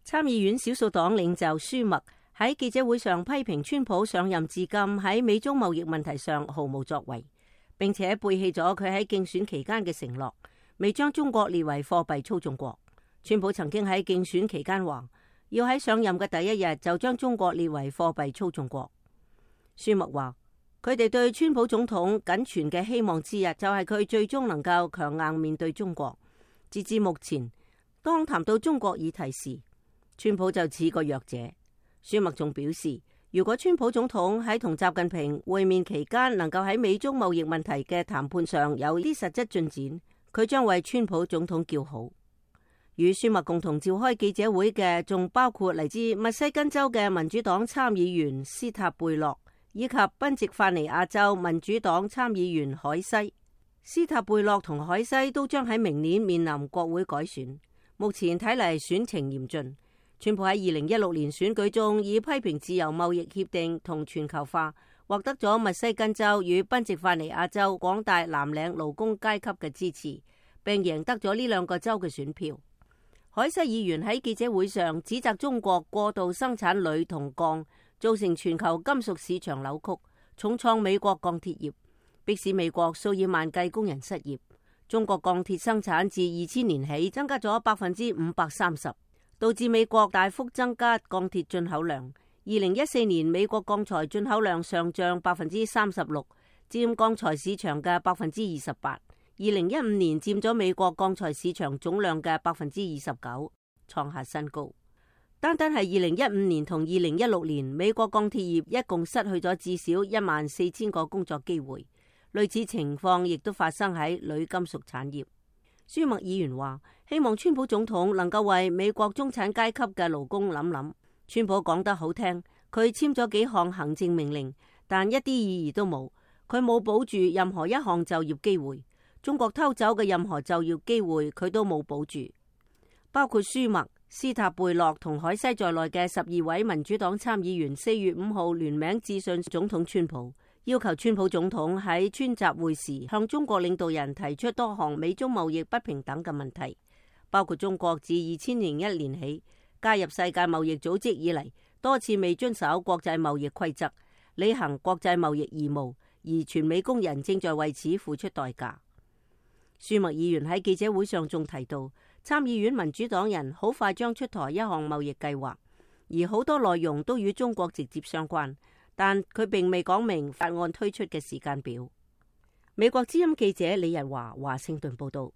參議院少數黨領袖舒默喺記者會上批評川普上任至今喺美中貿易問題上毫無作為，並且背棄咗佢喺競選期間嘅承諾，未將中國列為貨幣操縱國。川普曾經喺競選期間話，要喺上任嘅第一日就將中國列為貨幣操縱國。舒默話，佢哋對川普總統僅存嘅希望之一就係佢最終能夠強硬面對中國。截至目前，當談到中國議題時，川普就似個弱者。舒默仲表示，如果川普總統喺同習近平會面期間能夠喺美中貿易問題嘅談判上有啲實質進展，佢將為川普總統叫好。與舒默共同召開記者會嘅仲包括嚟自密西根州嘅民主黨參議員斯塔貝洛，以及賓夕法尼亞州民主黨參議員海西。斯塔貝洛同海西都將喺明年面臨國會改選，目前睇嚟選情嚴峻。川普喺2016年選舉中以批評自由貿易協定同全球化，獲得咗密西根州與賓夕法尼亞州廣大藍領勞工階級嘅支持，並贏得咗呢兩個州嘅選票。海西議員喺記者會上指責中國過度生產鋁同鋼，造成全球金屬市場扭曲，重創美國鋼鐵業，迫使美國數以萬計工人失業。中國鋼鐵生產自2000年起增加咗530%，導致美國大幅增加鋼鐵進口量。2014年美國鋼材進口量上漲36%，佔鋼材市場嘅28%。2015年佔咗美國鋼材市場總量嘅29%，創下新高。單係2015年同2016年，美國鋼鐵業一共失去咗至少14000個工作機會。類似情況亦都發生喺鋁金屬產業。舒默議員話，希望川普總統能夠為美國中產階級嘅勞工諗諗。川普講得好聽，佢簽咗幾項行政命令，但一啲意義都冇。佢冇保住任何一項就業機會。中國偷走嘅任何就業機會，佢都冇保住。包括舒默、斯塔貝洛同海西在內嘅12位民主黨參議員4月5號聯名致信總統川普，要求川普總統喺川習會時向中國領導人提出多項美中貿易不平等嘅問題，包括中國自2001年起加入世界貿易組織以嚟，多次未遵守國際貿易規則，履行國際貿易義務，而全美工人正在為此付出代價。舒默議員喺記者會上仲提到，參議院民主黨人好快將出台一項貿易計劃，而好多內容都與中國直接相關，但佢並未講明法案推出嘅時間表。美國之音記者李日華華盛頓報道。